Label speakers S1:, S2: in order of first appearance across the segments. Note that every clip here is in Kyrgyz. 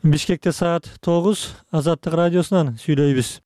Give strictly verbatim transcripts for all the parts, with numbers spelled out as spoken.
S1: Бишкекте саат тогуз, Азаттык радиосунан сүйлөйбүз.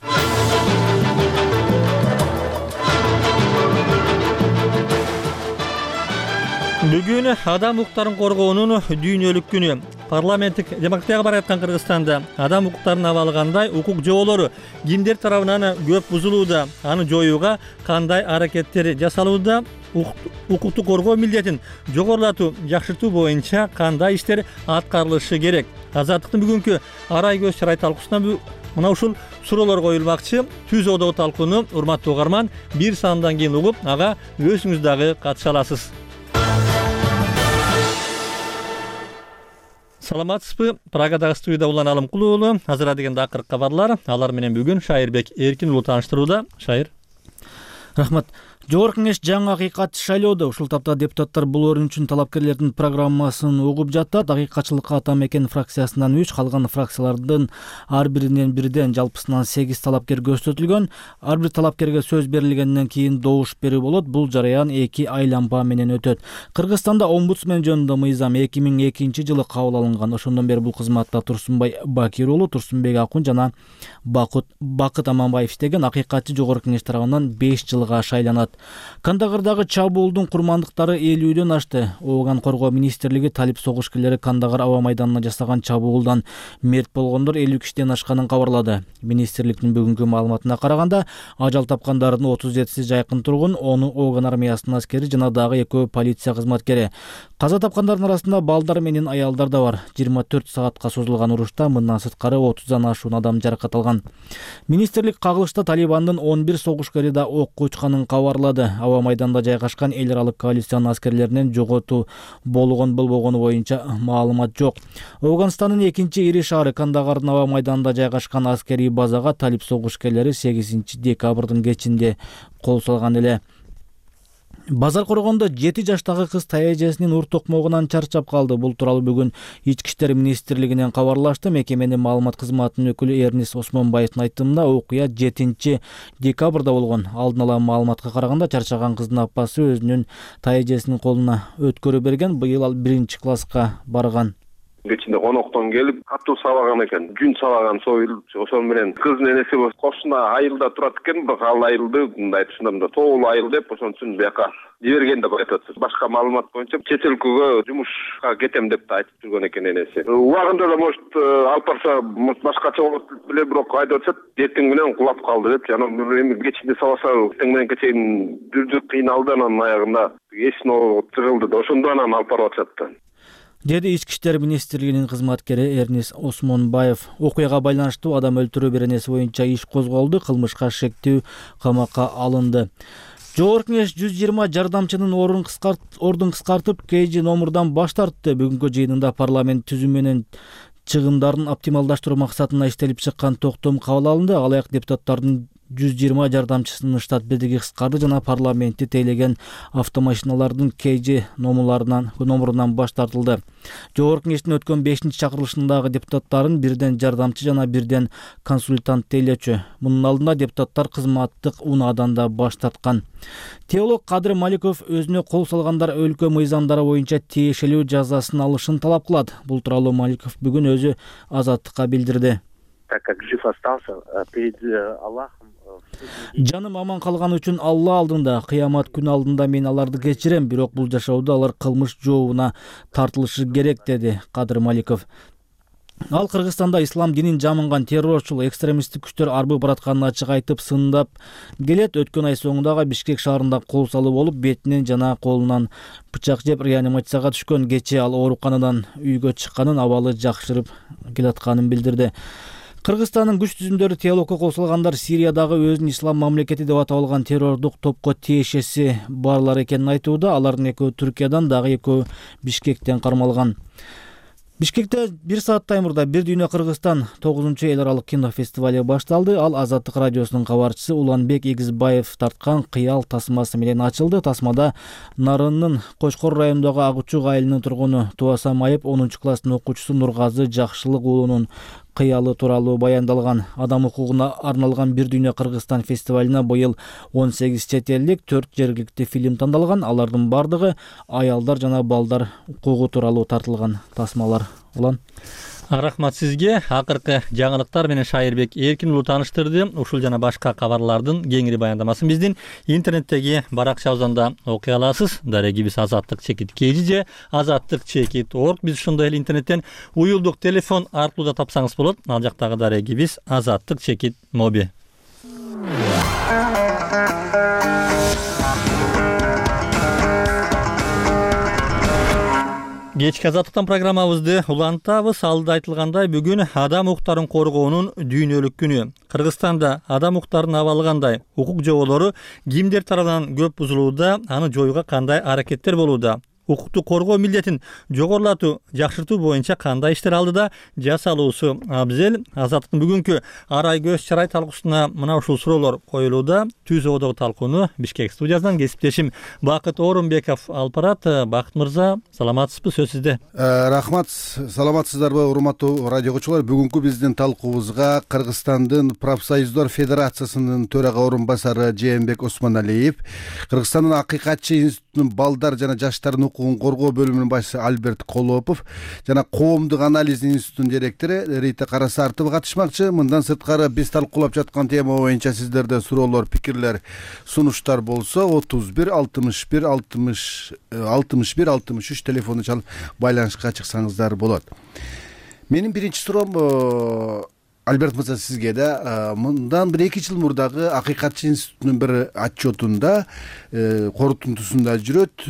S1: Бүгүн адам укуктарын коргоонун дүйнөлүк күнү. Парламенттик демократияга бара жаткан Кыргызстанда адам укуктарын абалы кандай, укук жоолору кимдер тарабынан көп бузулууда, аны жоюуга кандай аракеттер жасалууда, укукту коргоо милдетин жогорулатуу, жакшыртуу боюнча кандай иштер аткарылышы керек. Азаттыктын бүгүнкү арай көз чарай талкуусуна мына ушул суроолор коюлмакчы. Түз одо талкууну урматтуу угарман бир сандан кийин угуп, ага өзүңүз дагы катыша аласыз. Саламатсызбы? Прагадагы студияда Улан Алымкулуу уулу. Азыр дегенде акыркы кабарлар. Алар менен бүгүн Шайырбек Эркин уулу тааныштырууда. Шайыр.
S2: Рахмат. Жогорку Кеңеш жаңы акыйкатчы шайлоодо. Ушул тапта депутаттар бул орун үчүн талапкерлердин программасын угуп жатат. Акыйкатчылыкка ата мекен фракциясынан үч, калган фракциялардын ар биринен бирден жалпысынан сегиз талапкер көрсөтүлгөн. Ар бир талапкерге сөз берилгенден кийин добуш берүү болот. Бул жараян эки айланма менен өтөт. Кыргызстанда омбудсмен жөнүндө мыйзам эки миң экинчи жылы кабыл алынган. Ошондон бери бул кызматта Турсунбай Бакир уулу, Турсунбек Акун жана Бакыт Аманбаев иштеген. Акыйкатчы Жогорку Кеңеш тарабынан беш жылга шайланат. Кандагардагы чабуулдун курмандыктары элүүдөн ашты. Ооган коргоо министрлиги талип согушкерлери Кандагар аба майданына жасаган чабуулдан мерт болгондор элүү кишиден ашканын кабарлады. Министрликтин бүгүнкү маалыматына караганда, ажал тапкандардын отуз жетиси жайкын тургун, ону Ооган армиясынын аскери жана дагы экөө полиция кызматкери. Каза тапкандардын арасында балдар менен аялдар да бар. жыйырма төрт саатка созулган урушта мындан сырткары отуздан ашуун адам жаракат алган. Министрлик кагылышта Талибандын он бир согушкери да окко учканын кабарлады. Аба майданда жайгашкан эл аралык коалициянын аскерлеринен жоготуу болгон болбогону боюнча маалымат жок. Ауганстандын экинчи ири шаары Кандагардын аба майданында жайгашкан аскерий базага талип согушкерлери сегизинчи декабрдын кечинде кол салган эле. Базар коргондо жети жаштагы кыз таяжесинин ур токмогунан чарчап калды. Бул тууралуу бүгүн Ички иштер министрлигинен кабарлашты. Мекеменин маалымат кызматынын өкүлү Эрнис Осмонбаевдин айтымында окуя жетинчи декабрда болгон. Алдын ала маалыматка караганда, чарчаган кыздын апасы өзүнүн таяжесинин колуна өткөрү берген. Быйыл ал биринчи класска барган.
S3: Кечинде коноктон келип катуу сабаган экен. Жүн сабаган союлуп, ошол менен кыздын энеси кошуна айылда турат экен, бирок ал айылды мындай айтышында тоолуу айыл деп, ошон үчүн бияка жиберген деп айтат. Башка маалымат боюнча чет өлкөгө жумушка кетем деп да айтып жүргөн экен энеси. Убагында да может алып барса башкача болот беле, бирок айдап атат, эртең менен кулап калды деп. Жана эми кечинде сабаса эртең менен кечейин жүрдү, кыйналды, анан аягында эсин тыгылды да, ошондо анан алып барып атышат.
S2: Деди Ички иштер министрлигинин кызматкери Эрнис Осмонбаев. Окуяга байланыштуу адам өлтүрүү беренеси боюнча иш козголду, кылмышка шектүү камакка алынды. Жогорку Кеңеш жүз жыйырма жардамчынын ордун кыскартып, кей номурдан баш тартты. Бүгүнкү жыйынында парламент түзүү менен чыгымдарын оптималдаштыруу максатына иштелип чыккан токтом кабыл алынды. Алаяк депутаттардын жүз жыйырма жардамчысынын штат бедиги кыскарды жана парламентти тейлеген автомашиналардын кей номурларынан номурунан баш тартылды. Жогорку Кеңештин өткөн бешинчи чакырылышындагы депутаттарын бирден жардамчы жана бирден консультант тейлечү. Мунун алдында депутаттар кызматтык унаадан да баш тарткан. Теолог Кадыр Маликов өзүнө кол салгандар өлкө мыйзамдары боюнча тиешелүү жазасын алышын талап кылат. Бул тууралуу Маликов бүгүн өзү Азаттыкка билдирди.
S4: Так как жив остался перед Аллахом.
S2: Жаным аман калган үчүн Алла алдында, кыямат күнү алдында мен аларды кечирем, бирок бул жашоодо алар кылмыш жообуна тартылышы керек, деди Кадыр Маликов. Ал Кыргызстанда ислам динин жамынган террорчул экстремисттик күчтөр арбы баратканын ачык айтып сындап келет. Өткөн ай соңундагы Бишкек шаарында кол салуу болуп, бетинен жана колунан бычак жеп реанимацияга түшкөн. Кечээ ал ооруканадан үйгө чыкканын, абалы жакшырып келатканын билдирди. Кыргызстандын күч түзүмдөрү теологко кол салгандар Сириядагы өзүн ислам мамлекети деп атап алган террордук топко тиешеси барлар экенин айтууда. Алардын экөө Түркиядан, дагы экөө Бишкектен кармалган. Бишкекте бир сааттай мурда Бир дүйнө Кыргызстан тогузунчу эл аралык кинофестивали башталды. Ал Азаттык радиосунун кабарчысы Уланбек Игизбаев тарткан кыял тасмасы менен ачылды. Тасмада Нарынын Кочкор районундагы Агучук айылынын тургуну Туаса Майып онунчу класстын окуучусу Нургазы Жакшылык уулунун кыялы тууралуу баяндалган. Адам укугуна арналган Бир дүйнө Кыргызстан фестивалына быйыл он сегиз чет элдик, төрт жергиликтүү фильм тандалган. Алардын бардыгы аялдар жана балдар укугу тууралуу тартылган тасмалар. улан.
S1: Рахмат сизге. Акыркы жаңылыктар менен Шайырбек Эркин уулу тааныштырды. Ушул жана башка кабарлардын кеңири баяндамасын биздин интернеттеги баракчабыздан да окуй аласыз. Дарегибиз азаттык чекит kg же азаттык чекит org. Биз ошондой эле интернеттен уюлдук телефон аркылуу да тапсаңыз болот. Ал жактагы дарегибиз азаттык чекит моби. Кечки азаттыктан программабызды улантабыз. Алда айтылгандай, бүгүн адам укуктарын коргоонун дүйнөлүк күнү. Кыргызстанда адам укуктарынын абалы кандай? Укук жоболору кимдер тарабынан көп бузулууда? Аны жоюуга кандай аракеттер болууда? Укукту коргоо милдетин жогорулатуу, жакшыртуу боюнча кандай иштер алдыда жасалуусу абзел? Азаттыктын бүгүнкү арай көз чарай талкуусуна мына ушул суроолор коюлууда. Түз ободогу талкууну Бишкек студиясынан кесиптешим Бакыт Орунбеков алып барат. Бакыт мырза, саламатсызбы? Сөз сизде.
S5: Рахмат. Саламатсыздарбы, урматтуу радио угуучулар? Бүгүнкү биздин талкуубузга Кыргызстандын профсоюздар федерациясынын төрага орун басары Жээнбек Осмоналиев, Кыргызстандын Акыйкатчы институтунун балдар жана жаштардын укугун коргоо бөлүмүнүн башчысы Альберт Колопов жана Коомдук анализ институтунун директору Рита Карасартова катышмакчы. Мындан сырткары биз талкуулап жаткан тема боюнча сиздерде суроолор, пикирлер, сунуштар болсо отуз бир алтымыш бир алтымыш алтымыш бир алтымыш үч телефону чалып байланышка чыксаңыздар болот. Менин биринчи суроом Альберт мырза сизге да. Мындан бир эки жыл мурдагы Акыйкатчы институтунун бир отчетунда, корутундусунда жүрөт.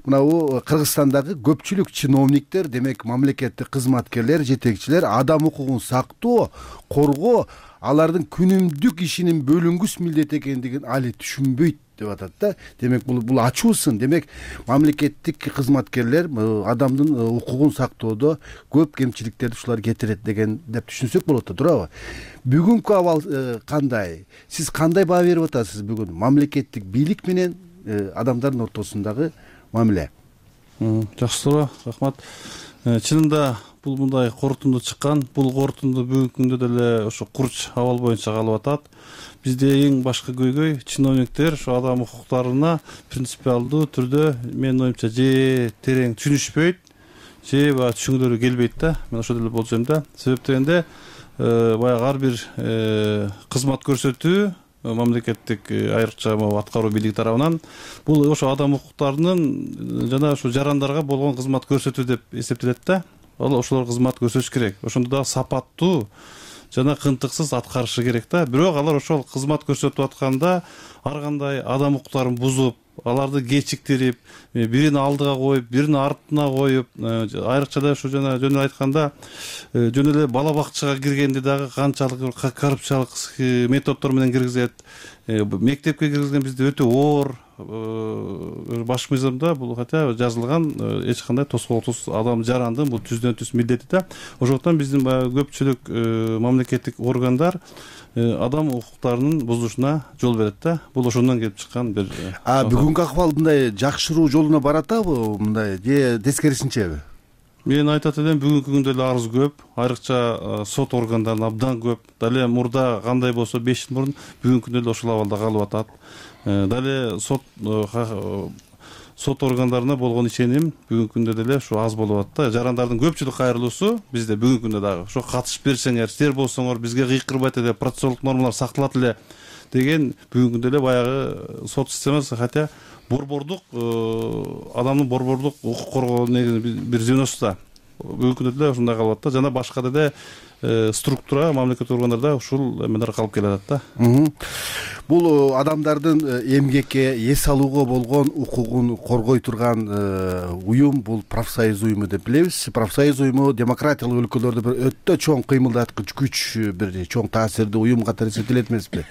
S5: Мынабу Кыргызстандагы көпчүлүк чиновниктер, демек мамлекеттик кызматкерлер, жетекчилер адам укугун сактоо, коргоо алардын күнүмдүк ишинин бөлүнгүс милдет экендигин али түшүнбөйт деп атат да. Демек бул бул ачуу сын. Демек мамлекеттик кызматкерлер адамдын укугун сактоодо көп кемчиликтерди ушулар кетирет деген деп түшүнсөк болот да, туурабы? Бүгүнкү абал кандай? Сиз кандай баа берип атасыз бүгүн мамлекеттик бийлик менен адамдардын ортосундагы мамиле?
S6: Жакшы суроо, рахмат. Чынында бул мындай корутунду чыккан. Бул корутунду бүгүнкү күндө деле ошо курч абал боюнча калып атат. Бизде эң башкы көйгөй чиновниктер ошо адам укуктарына принципиалдуу түрдө менин оюмча же терең түшүнүшпөйт, же баягы түшүнгүлөрү келбейт да. Мен ошол эле болжойм да. Себеп дегенде баягы ар бир кызмат көрсөтүү мамлекеттик айрыкча аткаруу бийлиги тарабынан бул ошо адам укуктарынын жана ошо жарандарга болгон кызмат көрсөтүү деп эсептелет да. Ал ошолор кызмат көрсөтүш керек. Ошондо да сапаттуу жана кынтыксыз аткарышы керек да. Бирок алар ошол кызмат көрсөтүп атканда ар кандай адам укуктарын бузуп, аларды кечиктирип, бирин алдыга коюп, бирин артына коюп, айрыкча да ушу жана жөн эле айтканда жөн эле бала бакчага киргенде дагы канчалык коррупциялык методдор менен киргизет. Мектепке киргизген бизде өтө оор баш мыйзамда бул хотя жазылган эч кандай тоскоолсуз адам жарандын бул түздөн түз милдети да. Ошондуктан биздин баягы көпчүлүк мамлекеттик органдар адам укуктарынын бузушуна жол берет да. Бул ошондон келип чыккан бир.
S5: А бүгүнкү акыбал мындай жакшыруу жолуна баратабы, мындай же тескерисинчеби?
S6: Мен айтат элем, бүгүнкү күндө эле арыз көп, айрыкча сот органдарында абдан көп. Дале мурда кандай болсо беш жыл мурун бүгүнкү күндө эле ошол абалда калып атат. Дале сот сот органдарына болгон ишеним бүгүнкү күндө деле ушу аз болуп атат да. Жарандардын көпчүлүк кайрылуусу бизде бүгүнкү күндө дагы ошо катышып берсеңер, силер болсоңор бизге кыйкырбайт эле, процессуалдык нормалар сакталат эле деген бүгүнкү күндө эле баягы сот системасы хотя борбордук адамдын борбордук укук коргоо бир звеносу бүгүнкү күндө деле ушундай калып атат да. Жана башка деле структура мамлекеттик органдарда ушул эмелер калып келатат да.
S5: Бул адамдардын эмгекке, эс алууга болгон укугун коргой турган уюм бул профсоюз уюму деп билебиз. Профсоюз уюму демократиялык өлкөлөрдө бир өтө чоң кыймылдаткыч күч, бир чоң таасирдүү уюм катары эсептелет эмеспи?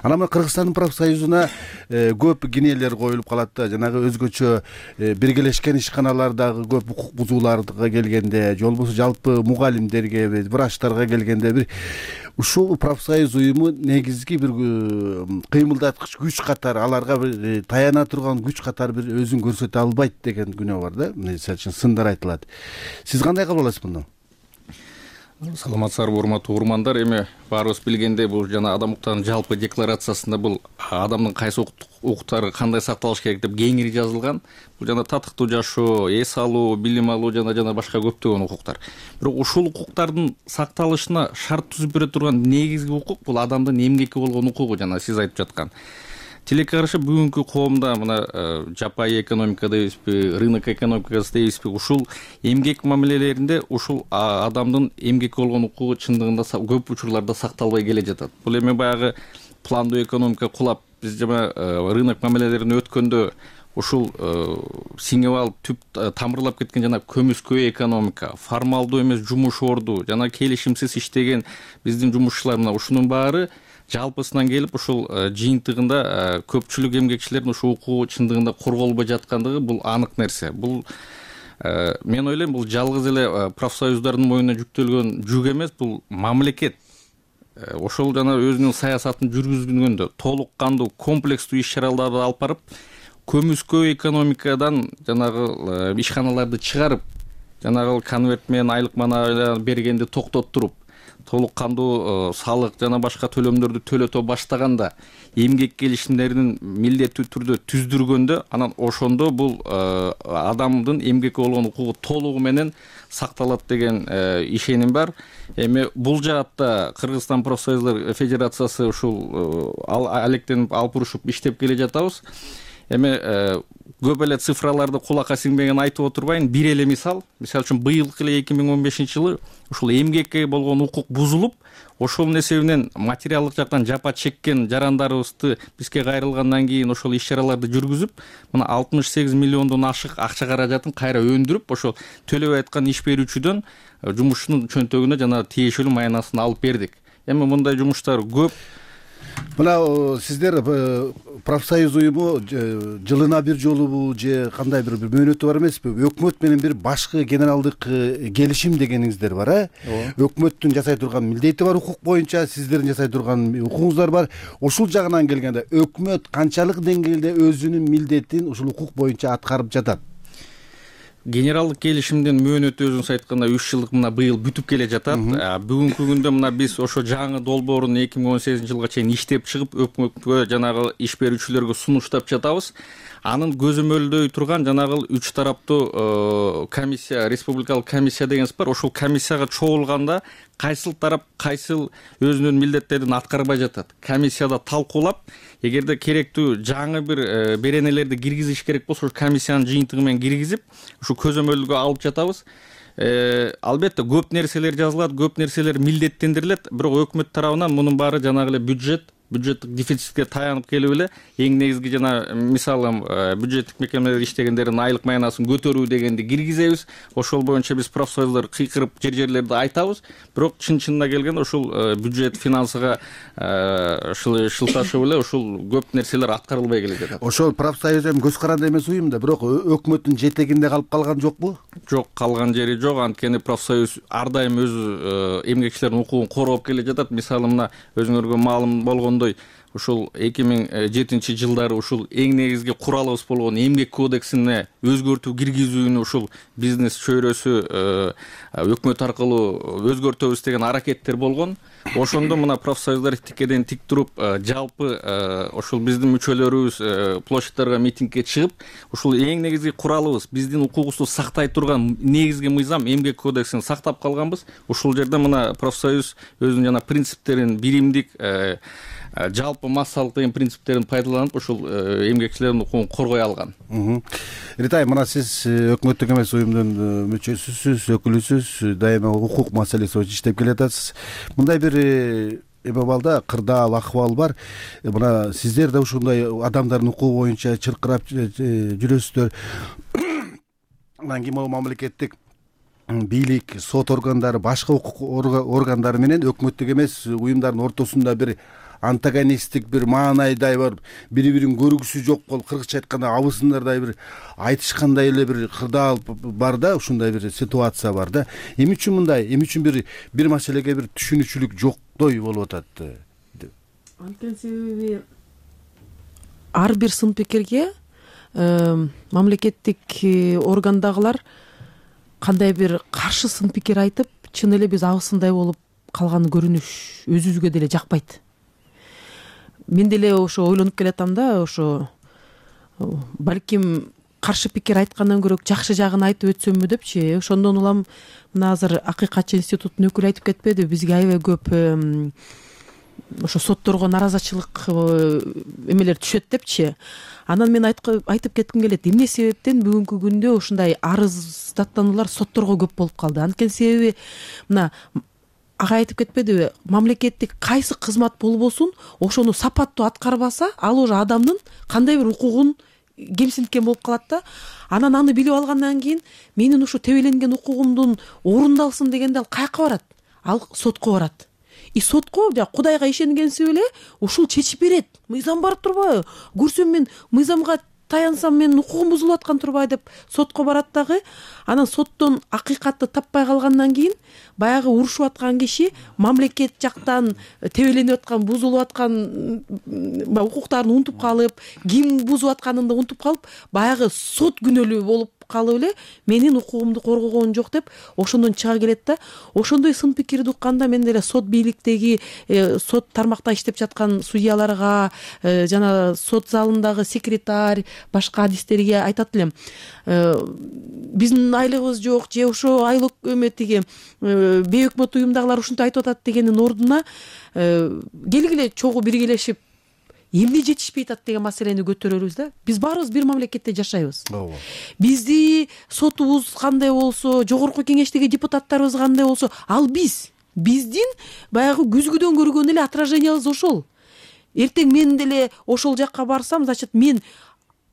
S5: Анан Кыргызстандын профсоюзуна көп кинелер коюлуп калат да. Жанагы өзгөчө биргелешкен ишканалардагы көп укук бузууларга келгенде, же болбосо жалпы мугалимдерге, врачтарга келгенде бир ушул профсоюз уюму негизги бир кыймылдаткыч күч катары, аларга бир таяна турган күч катары бир өзүн көрсөтө албайт деген күнөө бар да. Мисалы үчүн сындар айтылат. Сиз кандай кабыл аласыз мындан?
S7: Саламатсыздарбы урматтуу угурмандар. Эми баарыбыз билгендей, бул жана адам укуктарынын жалпы декларациясында бул адамдын кайсы укуктары кандай сакталыш керек деп кеңири жазылган. Бул жана татыктуу жашоо, эс алуу, билим алуу жана жана башка көптөгөн укуктар. Бирок ушул укуктардын сакталышына шарт түзүп бере турган негизги укук бул адамдын эмгекке болгон укугу, жана сиз айтып жаткан. Тилекке каршы бүгүнкү коомдо мына жапайы экономика дейбизби, рынок экономикасы дейбизби, ушул эмгек мамилелеринде ушул адамдын эмгекке болгон укугу чындыгында көп учурларда сакталбай келе жатат. Бул эми баягы пландуу экономика кулап, биз жана рынок мамилелерин өткөндө ушул сиңип алып түп тамырлап кеткен жана көмүскө экономика, формалдуу эмес жумуш орду жана келишимсиз иштеген биздин жумушчулар, мына ушунун баары жалпысынан келип ушул жыйынтыгында көпчүлүк эмгекчилердин ушул укугу чындыгында корголбой жаткандыгы бул анык нерсе. Бул мен ойлойм, бул жалгыз эле профсоюздардын мойнуна жүктөлгөн жүк эмес, бул мамлекет ошол жана өзүнүн саясатын жүргүзгөнгөндө толук кандуу комплекстүү иш чараларды алып барып, көмүскө экономикадан жанагы ишканаларды чыгарып, жанагы конверт менен айлык мана бергенди токтотуруп, толук кандуу салык жана башка төлөмдөрдү төлөтө баштаганда, эмгек келишимдерин милдеттүү түрдө түздүргөндө, анан ошондо бул адамдын эмгекке болгон укугу толугу менен сакталат деген ишеним бар. Эми бул жаатта Кыргызстан профсоюздар федерациясы ушул алектенип алып урушуп иштеп келе жатабыз. Эми көп эле цифраларды кулакка сиңбеген айтып отурбайын. Бир эле мисал, мисалы үчүн быйылкы эле эки миң он бешинчи жылы ушул эмгекке болгон укук бузулуп, ошонун эсебинен материалдык жактан жапа чеккен жарандарыбызды бизге кайрылгандан кийин ошол иш чараларды жүргүзүп, мына алтымыш сегиз миллиондон ашык акча каражатын кайра өндүрүп, ошол төлөбөй аткан иш берүүчүдөн жумушчунун чөнтөгүнө жана тиешелүү маянасын алып бердик. Эми мындай жумуштар көп.
S5: Мына сиздер профсоюз уюму жылына бир жолубу же кандай бир мөөнөтү бар эмеспи? Өкмөт менен бир башкы генералдык келишим дегениңиздер бар, э? Өкмөттүн жасай турган милдети бар укук боюнча, сиздердин жасай турган укугуңуздар бар. Ушул жагынан келгенде өкмөт канчалык деңгээлде өзүнүн милдетин ушул укук боюнча аткарып жатат?
S7: Генералдык келишимдин мөөнөтү өзүңүз айткандай үч жылдык мына быйыл бүтүп келе жатат. Бүгүнкү күндө мына биз ошо жаңы долбоорун эки миң он сегизинчи жылга чейин иштеп чыгып, өкмөткө жанагы иш берүүчүлөргө сунуштап жатабыз. Анын көзөмөлдөй турган жанагы үч тараптуу комиссия, республикалык комиссия дегенс бар. Ошол комиссияга чогулганда кайсыл тарап кайсыл өзүнүн милдеттерин аткарбай жатат. Комиссияда талкуулап, эгерде керектүү жаңы бир беренелерди киргизиш керек болсо, комиссиянын жыйынтыгы менен киргизип, ушу көзөмөлгө алып жатабыз. Албетте көп нерселер жазылат, көп нерселер милдеттендирилет, бирок өкмөт тарабынан мунун баары жанагы эле бюджет бюджеттик дефицитке таянып келип эле, эң негизги жана мисалы бюджеттик мекемелер иштегендердин айлык маянасын көтөрүү дегенди киргизебиз. Ошол боюнча биз профсоюздар кыйкырып жер-жерлерде айтабыз, бирок чын-чынына келгенде ушул бюджет финансыга шылташып эле ушул көп нерселер аткарылбай келе жатат.
S5: Ошол профсоюз эми көз каранды эмес уюм да, бирок өкмөттүн жетегинде калып калган жокпу?
S7: Жок, калган жери жок. Анткени профсоюз ар дайым өзү эмгекчилердин укугун коргоп келе жатат. Мисалы мына өзүңөргө маалым болгон ушул эки миң жетинчи жылдары ушул эң негизги куралыбыз болгон эмгек кодексине өзгөртүү киргизүүнү ушул бизнес чөйрөсү өкмөт аркылуу өзгөртөбүз деген аракеттер болгон. Ошондо мына профсоюздар тикеден тик туруп, жалпы ошол биздин мүчөлөрүбүз площадьтарга митингге чыгып, ушул эң негизги куралыбыз, биздин укугубузду сактай турган негизги мыйзам эмгек кодексин сактап калганбыз. Ушул жерде мына профсоюз өзүнүн жана принциптерин, биримдик, жалпы массалык деген принциптерин пайдаланып, ушул эмгекчилердин укугун коргой алган.
S5: Ритай, мына сиз өкмөттүк эмес уюмдун мүчөсүсүз, өкүлүсүз, дайыма укук маселеси боюнча иштеп келатасыз. Мындай бир эми балда кырдаал акыбал бар. Мына сиздер да ушундай адамдардын укугу боюнча чыркырап жүрөсүздөр. Анан кийин могу мамлекеттик бийлик, сот органдары, башка укук органдары менен өкмөттүк эмес уюмдардын ортосунда бир антагонисттик бир маанайдай бар, бири-бирин көргүсү жок болуп, кыргызча айтканда абысындардай бир айтышкандай эле бир кырдаал бар да, ушундай бир ситуация бар да. Эмне үчүн мындай, эмне үчүн бир бир маселеге бир түшүнүкчүлүк жоктой болуп атат?
S8: Анткени себеби ар бир сын пикирге мамлекеттик органдагылар кандай бир каршы сын пикир айтып, чын эле биз абысындай болуп калган көрүнүш өзүбүзгө деле жакпайт. Мен деле ошо ойлонуп келатам да, ошо балким каршы пикир айткандан көрө жакшы жагын айтып өтсөмбү депчи. Ошондон улам мына азыр Акыйкатчы институтунун өкүлү айтып кетпеди, бизге аябай көп ошо сотторго наразычылык эмелер түшөт депчи. Анан мен айтып кетким келет, эмне себептен бүгүнкү күндө ушундай арыздаттануулар сотторго көп болуп калды? Анткени себеби мына ага айтып кетпедиби, мамлекеттик кайсы кызмат болбосун ошону сапаттуу аткарбаса, ал уже адамдын кандай бир укугун кемсинткен болуп калат да. Анан аны билип алгандан кийин менин ушу тебеленген укугумдун орундалсын дегенде ал каяка барат? Ал сотко барат. И сотко жана Кудайга ишенгенсип эле ушул чечип берет. Мыйзам бар турбайбы? Көрсөм мен мыйзамга таянсам менин укугум бузулуп аткан турбай деп сотко барат дагы. Анан соттон акыйкатты таппай калгандан кийин баягы урушуп аткан киши мамлекет жактан тебеленип аткан, бузулуп аткан укуктарын унутуп калып, ким бузуп атканын да унутуп калып, баягы сот күнөөлүү болуп калып эле менин укугумду коргогон жок деп ошондон чыга келет да. Ошондой сын пикирди укканда мен деле сот бийликтеги сот тармакта иштеп жаткан судьяларга жана сот залындагы секретарь, башка адистерге айтат элем, биздин айлыгыбыз жок же ошо айлык эметиги бейөкмөт уюмдагылар ушинтип айтып атат дегендин ордуна келгиле чогуу биргелешип эмне жетишпей атат деген маселени көтөрөлүбүз да. Биз баарыбыз бир мамлекетте жашайбыз. Бизди сотубуз кандай болсо, жогорку кеңештеги депутаттарыбыз кандай болсо, ал биз. Биздин баягы күзгүдөн көргөн эле отражениябыз ошол. Эртең мен деле ошол жакка барсам, значит мен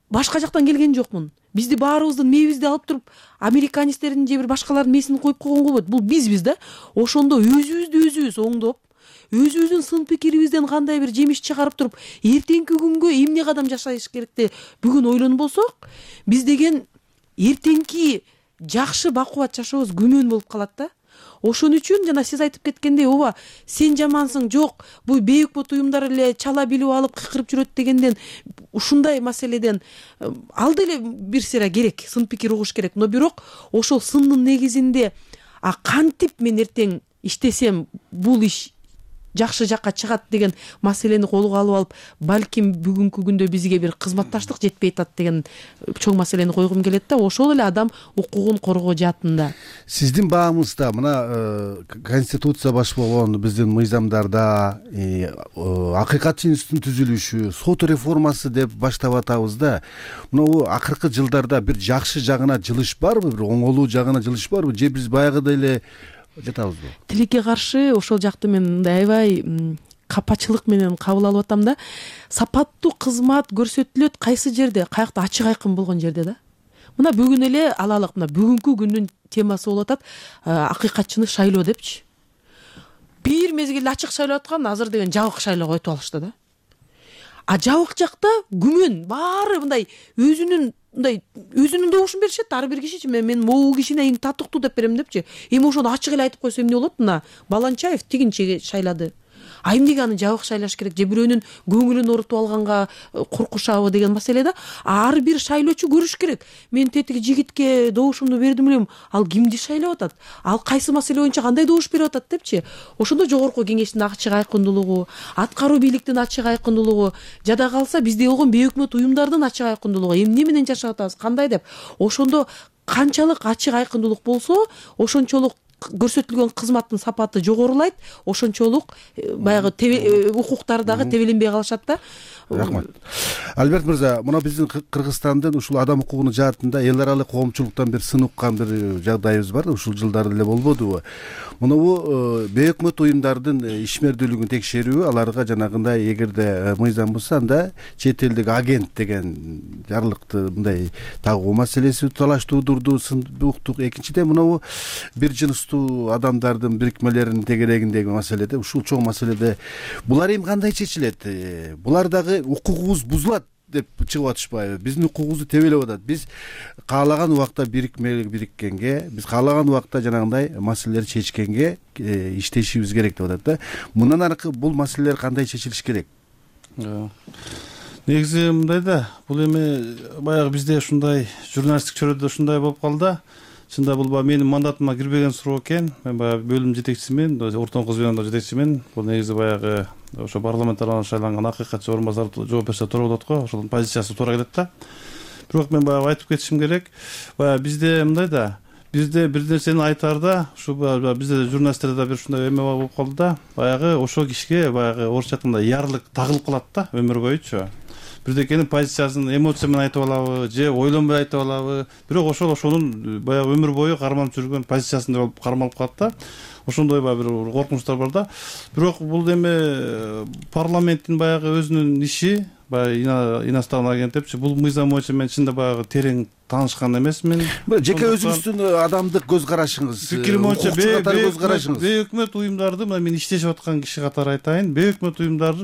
S8: башка жактан келген жокмун. Бизди баарыбыздын мээбизди алып туруп американецтердин же бир башкалардын мээсин коюп койгонго болбойт. Бул бизбиз да. Ошондо өзүбүздү өзүбүз оңдоп, өзүбүздүн сын пикирибизден кандай бир жемиш чыгарып туруп, эртеңки күнгө эмне кадам жашаш керекти бүгүн ойлонбосок, биз деген эртеңки жакшы бакубат жашообуз күмөн болуп калат да. Ошон үчүн жана сиз айтып кеткендей, ооба, сен жамансың, жок, бул бейөкмөт уюмдар эле чала билип алып кыйкырып жүрөт дегенден, ушундай маселеден ал деле бир сыйра керек, сын пикир угуш керек. Но бирок ошол сындын негизинде а кантип мен эртең иштесем бул иш жакшы жакка чыгат деген маселени колго алып алып, балким бүгүнкү күндө бизге бир кызматташтык жетпей атат деген чоң маселени койгум келет да. Ошол эле адам укугун коргоо жаатында.
S5: Сиздин баамызда мына конституция баш болгон биздин мыйзамдарда Акыйкатчы институтунун түзүлүшү, сот реформасы деп баштап атабыз да. Мына акыркы жылдарда бир жакшы жагына жылыш барбы, бир оңолуу жагына жылыш барбы, же биз баягыдай эле жатабызбы? Тилекке
S8: каршы ошол жакты мен мындай аябай капачылык менен кабыл алып атам да. Сапаттуу кызмат көрсөтүлөт кайсы жерде? Каякта ачык айкын болгон жерде да. Мына бүгүн эле алалык, мына бүгүнкү күндүн темасы болуп атат акыйкатчыны шайлоо депчи. Бир мезгилде ачык шайлап аткан, азыр деген жабык шайлоого өтүп алышты да. А жабык жакта күмөн баары мындай өзүнүн мындай өзүнүн добушун беришет. Ар бир кишичи мен мен могу кишине эң татыктуу деп берем депчи. Эми ошону ачык эле айтып койсо эмне болот? Мына Баланчаев тигинче шайлады. А эмнеге аны жабык шайлаш керек? Же бирөөнүн көңүлүн орутуп алганга коркушабы деген маселе да. Ар бир шайлоочу көрүш керек. Мен тетиги жигитке добушумду бердим элем, ал кимди шайлап атат? Ал кайсы маселе боюнча кандай добуш берип атат депчи. Ошондо жогорку кеңештин ачык айкындуулугу, аткаруу бийликтин ачык айкындуулугу, жада калса бизде болгон бейөкмөт уюмдардын ачык айкындуулугу, эмне менен жашап атабыз, кандай деп. Ошондо канчалык ачык айкындуулук болсо, ошончолук көрсөтүлгөн кызматтын сапаты жогорулайт, ошончолук баягы укуктар дагы тебеленбей калышат да.
S5: Рахмат. Альберт мырза, мына биздин Кыргызстандын ушул адам укугунун жаатында эл аралык коомчулуктан бир сын уккан бир жагдайыбыз бар, ушул жылдары эле болбодубу? Мунабу бейөкмөт уюмдардын ишмердүүлүгүн текшерүү, аларга жанагындай эгерде мыйзам бузса, анда чет элдик агент деген жарлыкты мындай тагуу маселеси талаш туудурду, сын уктук. Экинчиден мунабу бир жыныстуу адамдардын бирикмелеринин тегерегиндеги маселеде, ушул чоң маселеде булар эми кандай чечилет? Булар дагы укугубуз бузулат деп чыгып атышпайбы? Биздин укугубузду тебелеп атат. Биз каалаган убакта бирикмелик бириккенге, биз каалаган убакта жанагындай маселелерди чечкенге иштешибиз керек деп атат да. Мындан аркы бул маселелер кандай чечилиш керек?
S6: Негизи мындай да, бул эми баягы бизде ушундай журналисттик чөйрөдө ушундай болуп калды да. чында бул баягы менин мандатыма кирбеген суроо экен. Мен баягы бөлүм жетекчисимин, ортоңку звенодо жетекчимин. Бул негизи баягы ошо парламент тарабынан шайланган акыйкатчы орун басары жооп берсе туура болот го. Ошонун позициясы туура келет да. Бирок мен баягы айтып кетишим керек. Баягы бизде мындай да, бизде бир нерсени айтаарда, ушу бизде журналисттерде да бир ушундай эме болуп калды да. Баягы ошол кишиге баягы орусча айтканда ярлык тагылып калат да өмүр боючу. Бирдекенин позициясын эмоция менен айтып алабы же ойлонбой айтып алабы. Бирок ошол ошонун баягы өмүр бою карманып жүргөн позициясында болуп кармалып калат да. Ошондой баягы бир коркунучтар бар да. Бирок бул эме парламенттин баягы өзүнүн иши, баягы иностранный агент депчи, бул мыйзам боюнча мен чынында баягы терең таанышкан эмесмин.
S5: Жеке өзүңүздүн адамдык көз карашыңыз,
S6: пикирим боюнча
S5: көз карашыңыз.
S6: Бейөкмөт уюмдарды мына мен иштешип аткан киши катары айтайын, бейөкмөт уюмдар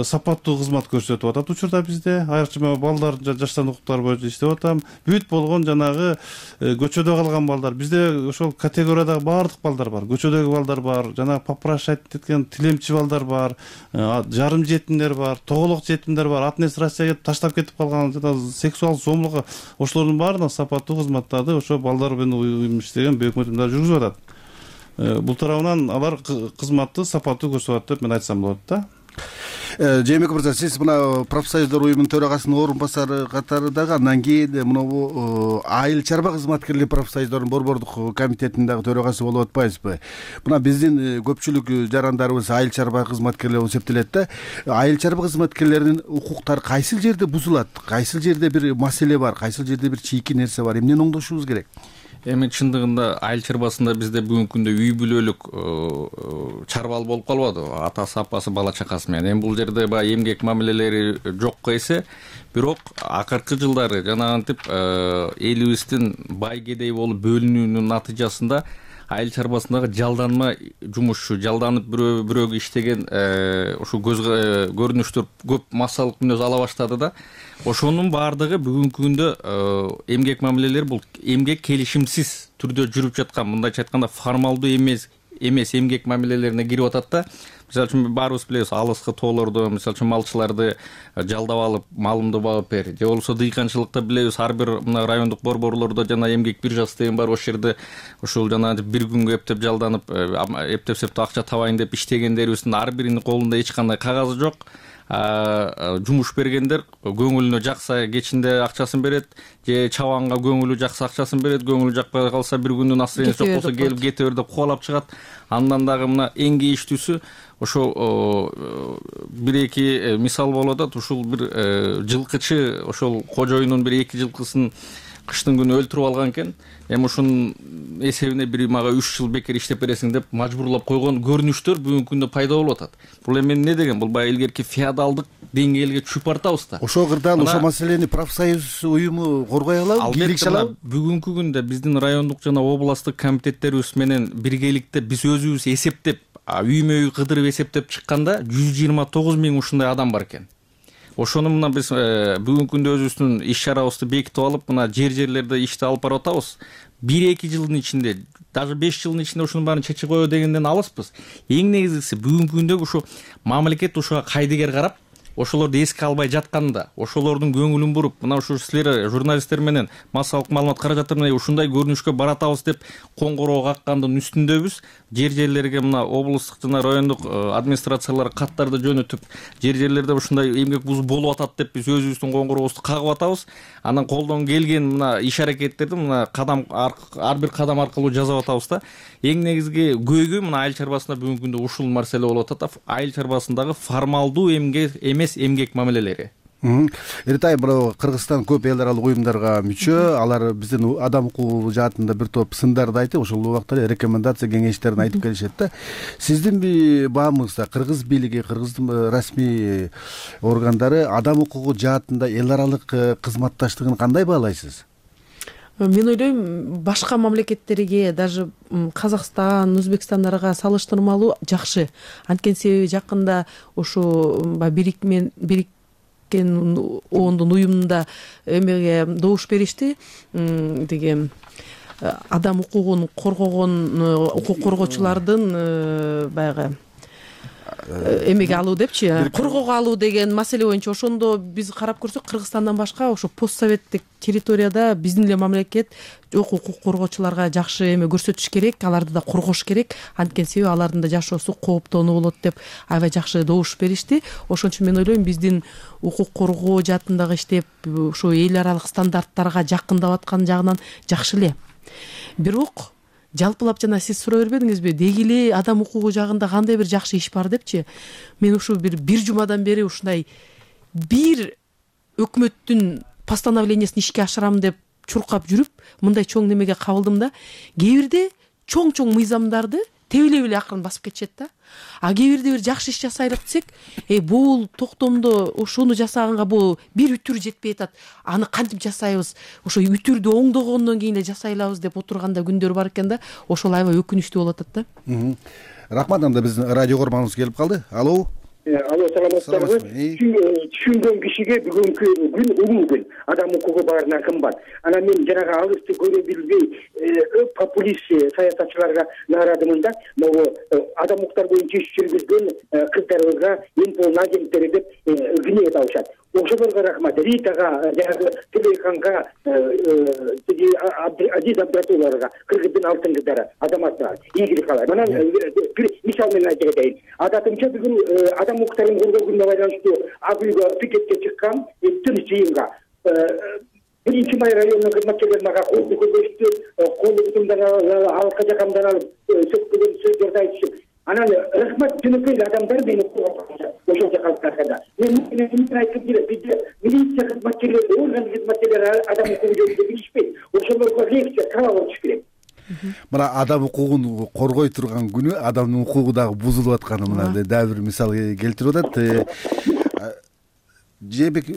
S6: сапаттуу кызмат көрсөтүп атат учурда бизде. Айрыкча балдар, жаштардын укуктары боюнча иштеп атам. Бүт болгон жанагы көчөдө калган балдар. Бизде ошол категориядагы баардык балдар бар. Көчөдөгү балдар бар, жанагы попрошать эткен тилемчи балдар бар, жарым жетимдер бар, тоголок жетимдер бар, ата энеси Россияга кетип таштап кетип калган, жана сексуал зомбулукка ошолордун баарына сапаттуу кызматтарды ошо балдар менен уюм иштеген бейөкмөт уюмдар жүргүзүп атат. Бул тарабынан алар кызматты сапаттуу көрсөтүп атат деп мен айтсам болот да.
S5: Жээнбеков мырза, сиз мына профсоюздар уюмунун төрагасынын орун басары катары дагы, андан кийин мына айыл чарба кызматкерлери профсоюздарынын борбордук комитетинин дагы төрагасы болуп атпайсызбы? Мына биздин көпчүлүк жарандарыбыз айыл чарба кызматкерлери болуп эсептелет да. Айыл чарба кызматкерлеринин укуктары кайсыл жерде бузулат? Кайсыл жерде бир маселе бар? Кайсыл жерде бир чийки нерсе бар? Эмнени оңдошубуз керек?
S7: Эми чындыгында айыл чарбасында бизде бүгүнкү күндө үй бүлөлүк чарбал болуп калбады, атасы апасы бала чакасы менен. Эми бул жерде баягы эмгек мамилелери жокко эсе, бирок акыркы жылдары жанагынтип элибиздин бай кедей болуп бөлүнүүнүн натыйжасында айыл чарбасындагы жалданма жумушчу, жалданып бирөө бирөөгө иштеген ушу көз көрүнүштөр көп массалык мүнөз ала баштады да. Ошонун баардыгы бүгүнкү күндө эмгек мамилелери бул эмгек келишимсиз түрдө жүрүп жаткан, мындайча айтканда формалдуу эмес эмес эмгек мамилелерине кирип атат да. Мисалы үчүн баарыбыз билебиз, алыскы тоолордо мисалы үчүн малчыларды жалдап алып, малымды багып бер. Же болбосо дыйканчылыкта билебиз, ар бир мына райондук борборлордо жана эмгек биржасы деген бар, ошол жерде ушул жана бир күнгө эптеп жалданып, эптеп септеп акча табайын деп иштегендерибиздин ар биринин колунда эч кандай кагазы жок. Жумуш бергендер көңүлүнө жакса кечинде акчасын берет, же чабанга көңүлү жакса акчасын берет, көңүлү жакпай калса бир күндүн настроенияси жок болсо келип кете бер деп кубалап чыгат. Андан дагы мына эң кейиштүүсү ошол бир эки мисал болуп атат. Ушул бир жылкычы ошол кожоюнун бир эки жылкысын кыштын күнү өлтүрүп алган экен. Эми ушунун эсебине бир мага үч жыл бекер иштеп бересиң деп мажбурлап койгон көрүнүштөр бүгүнкү күндө пайда болуп атат. Бул эми эмне деген? Бул баягы илгерки феодалдык деңгээлге чүйүп баратабыз да.
S5: Ошол кырдаал ошол маселени профсоюз уюму коргой алабы, бийлик алабы?
S7: Бүгүнкү күндө биздин райондук жана областтык комитеттерибиз менен биргеликте биз өзүбүз эсептеп, үймө үй кыдырып эсептеп чыкканда жүз жыйырма тогуз миң ушундай адам бар экен. Ошону мына биз бүгүнкү күндө өзүбүздүн иш чарабызды бекитип алып, мына жер жерлерде ишти алып барып атабыз. бир эки жылдын ичинде, даже беш жылдын ичинде ушунун баарын чечип коё дегенден алыспыз. Эң негизгиси бүгүнкү күндө ушу мамлекет ушуга кайдыгер карап, ошолорду эске албай жатканда, ошолордун көңүлүн буруп, мына ушу силер журналисттер менен массалык маалымат каражаттары менен ушундай көрүнүшкө баратабыз деп коңгуроо каккандын үстүндөбүз. Жер жерлерге мына облустук жана райондук администрациялар каттарды жөнөтүп, жер жерлерде ушундай эмгек бузуу болуп атат деп биз өзүбүздүн коңгурообузду кагып атабыз. Анан колдон келген мына иш аракеттерди мына кадам ар бир кадам аркылуу жасап атабыз да. Эң негизги көйгөй мына айыл чарбасында бүгүнкү күндө ушул маселе болуп атат. Айыл чарбасындагы формалдуу эмгек эмес эмгек мамилелери.
S5: Эртай, бирок Кыргызстан көп эл аралык уюмдарга мүчө, алар биздин адам укугу жаатында бир топ сындарды айтып, ошол убакта эле рекомендация кеңештерин айтып келишет да. Сиздин баамыңызда кыргыз бийлиги, кыргыздын расмий органдары адам укугу жаатында эл аралык кызматташтыгын кандай баалайсыз?
S8: Мен ойлойм, башка мамлекеттерге, даже Казакстан, Өзбекстандарга салыштырмалуу жакшы. Анткени себеби жакында ошо бирикмен бирик ондун уюмунда эмеге добуш беришти, деген адам укугун коргогон укук коргоочулардын баягы эмеге алуу депчи, коргоого алуу деген маселе боюнча ошондо биз карап көрсөк Кыргызстандан башка ошо постсоветтик территорияда биздин эле мамлекет жок укук коргоочуларга жакшы эме көрсөтүш керек, аларды да коргош керек, анткени себеби алардын да жашоосу кооптонуу болот деп аябай жакшы добуш беришти. Ошон үчүн мен ойлойм биздин укук коргоо жаатындагы иштеп ошо эл аралык стандарттарга жакындап аткан жагынан жакшы эле. Бирок жалпылап жана сиз сурай бербедиңизби, деги эле адам укугу жагында кандай бир жакшы иш бар депчи. Мен ушу бир бир жумадан бери ушундай бир өкмөттүн постановлениясын ишке ашырам деп чуркап жүрүп, мындай чоң немеге кабылдым да, кээ бирде чоң-чоң мыйзамдарды тебелеп эле акырын басып кетишет да. А кээ бирде бир жакшы иш жасайлык десек, э бул токтомдо ушуну жасаганга бул бир үтүр жетпей атат. Аны кантип жасайбыз? Ошо үтүрдү оңдогондон кийин эле жасайлабыз деп отурганда күндөр бар экен да. Ошол аябай өкүнүчтүү болуп атат да.
S5: Рахмат, анда биздин радио көрманыбыз келип калды. Алло.
S9: Алло, саламатсыздарбы? Түшүнгөн кишиге бүгүнкү күн улуу күн. Адам укугу баарынан кымбат. Анан мен жанагы алысты көрө билбей популист саясатчыларга нааразымын да. Могу адам укуктар боюнча иш жүргүзгөн кыздарыбызга эң пол агенттери деп гнев алышат. Ошолорго рахмат. Ритага, жанагы Тилейханга, Азиз Абдратулларга, кыргыздын алтын кыздары, азаматтар, ийгилик каалайм. Анан бир мисал менен айтып кетейин. Адатымча бүгүн адам укуктарын коргоо күнүнө байланыштуу ак үйгө пикетке чыккан тыныч жыйынга биринчи май районунун кызматкерлери мага колду көргөзүштү, колдугумдан алка жакамдан алып сөкпөгөн сөздөрдү айтышып, анан рахмат жөнөкөй адамдар мени ошончо калып калганда. Мен эмне айткым келет, бизде милиция кызматкерлери, орган кызматкерлери адам укугу жөнүндө билишпейт. Ошолорго лекция талап болуш керек.
S5: Мына адам укугун коргой турган күнү адамдын укугу дагы бузулуп атканы мына дагы бир мисал келтирип атат. Жебек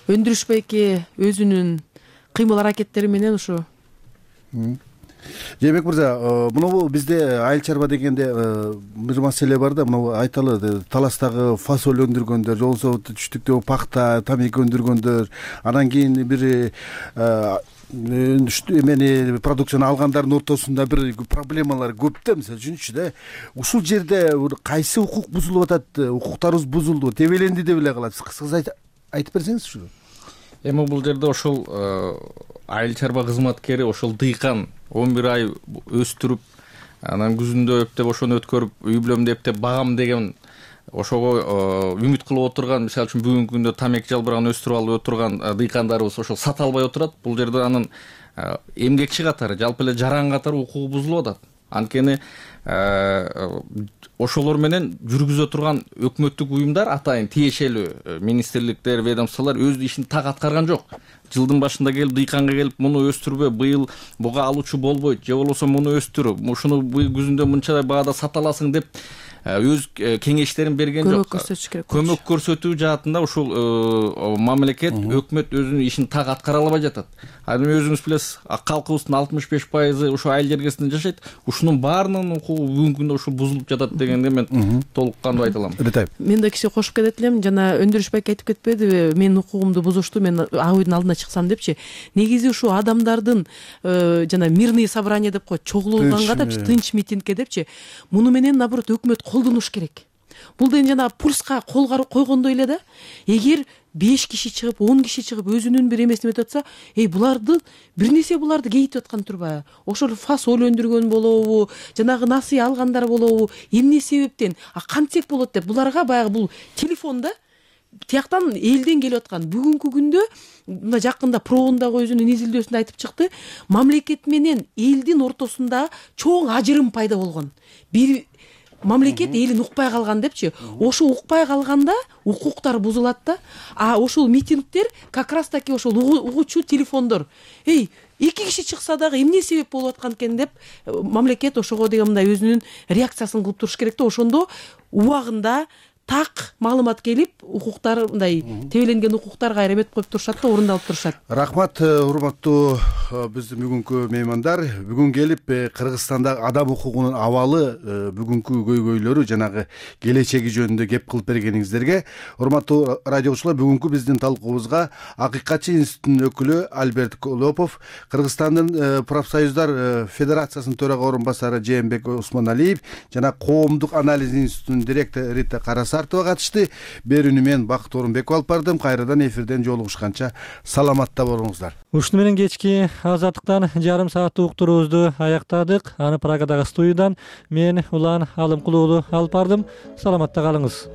S8: Өндүрүш байке өзүнүн кыймыл аракеттери менен ушу.
S5: Жебек мырза, мына бизде айыл чарба дегенде бир маселе бар да, мына айталы таластагы фасоль өндүргөндөр, же болбосо түштүктөгү пахта, тамеки өндүргөндөр, анан кийин бир эмени продукцияны алгандардын ортосунда бир проблемалар көп да. Мисалы үчүнчү да, ушул жерде кайсы укук бузулуп атат, укуктарыбыз бузулду, тебеленди деп эле калат. Кыскасы айтып берсеңиз ушу.
S7: Эми бул жерде ошол айыл чарба кызматкери, ошол дыйкан он бир ай өстүрүп, анан күзүндө эптеп ошону өткөрүп, үй бүлөмдү эптеп багам деген ошого үмүт кылып отурган, мисалы үчүн бүгүнкү күндө тамеки жалбырагын өстүрүп алып отурган дыйкандарыбыз ошол сата албай отурат. Бул жерде анын эмгекчи катары, жалпы эле жаран катары укугу бузулуп атат. Анткени ошолор менен жүргүзө турган өкмөттүк уюмдар, атайын тиешелүү министрликтер, ведомстволор өз ишин так аткарган жок. Жылдын башында келип дыйканга келип, муну өстүрбө, быйыл буга алуучу болбойт, же болбосо муну өстүр, ушуну күзүндө мынча баада сата аласың деп өз кеңештерин берген жок.
S8: Көмөк көрсөтүш керек.
S7: Көмөк көрсөтүү жаатында ушул мамлекет, өкмөт өзүнүн ишин так аткара албай жатат. Анан өзүңүз билесиз, калкыбыздын алтымыш беш пайызы ушул айыл жергесинде жашайт. Ушунун баарынын укугу бүгүнкү күндө ушул бузулуп жатат дегенде мен толук кандуу айта алам.
S8: Мен да кичине кошуп кетет элем. Жана Өндүрүш байке айтып кетпедиби, менин укугумду бузушту, мен ак үйдүн алдына чыксам депчи. Негизи ушул адамдардын жана мирный собрание деп коет, чогулганга депчи, тынч митингке депчи. Муну менен наоборот өкмөт колдонуш керек. Бул деген жана пульска кол койгондой эле да. Эгер беш киши чыгып, он киши чыгып өзүнүн бир эмесин өтүп атса, эй буларды бир нерсе буларды кейитип аткан турбайбы? Ошол фасоль өндүргөн болобу, жанагы насый алгандар болобу, эмне себептен, а кантсек болот деп буларга баягы бул телефонда тияктан элден келип аткан. Бүгүнкү күндө мына жакында проондагы өзүнүн изилдөөсүндө айтып чыкты, мамлекет менен элдин ортосунда чоң ажырым пайда болгон. Бир мамлекет элин укпай калган депчи. Ошо укпай калганда укуктар бузулат да. А ошол митингдер как раз таки ошол угуучу телефондор. Эй, эки киши чыкса дагы эмне себеп болуп аткан экен деп мамлекет ошого деген мындай өзүнүн реакциясын кылып туруш керек да. Ошондо убагында так маалымат келип укуктар мындай тебеленген укуктар кайра эметип коюп турушат да, орундалып турушат.
S5: Рахмат, урматтуу биздин бүгүнкү меймандар. Бүгүн келип Кыргызстандагы адам укугунун абалы, бүгүнкү көйгөйлөрү, жанагы келечеги жөнүндө кеп кылып бергениңиздерге. Урматтуу радиочулар, бүгүнкү биздин талкуубузга Акыйкатчы институтунун өкүлү Альберт Колопов, Кыргызстандын профсоюздар федерациясынын төрага орун басары Жээнбек Осмоналиев жана Коомдук анализ институтунун директору Рита Карасартова катышты. Берүүнү мен Бакыт Орунбеков алып бардым. Кайрадан эфирден жолугушканча саламатта болуңуздар.
S1: Ушуну менен кечки азаттыктан жарым сааттык уктуруубузду аяктадык. Аны Праgadагы студиядан мен Улан Алымкулуулу алып бардым. Саламатта калыңыз.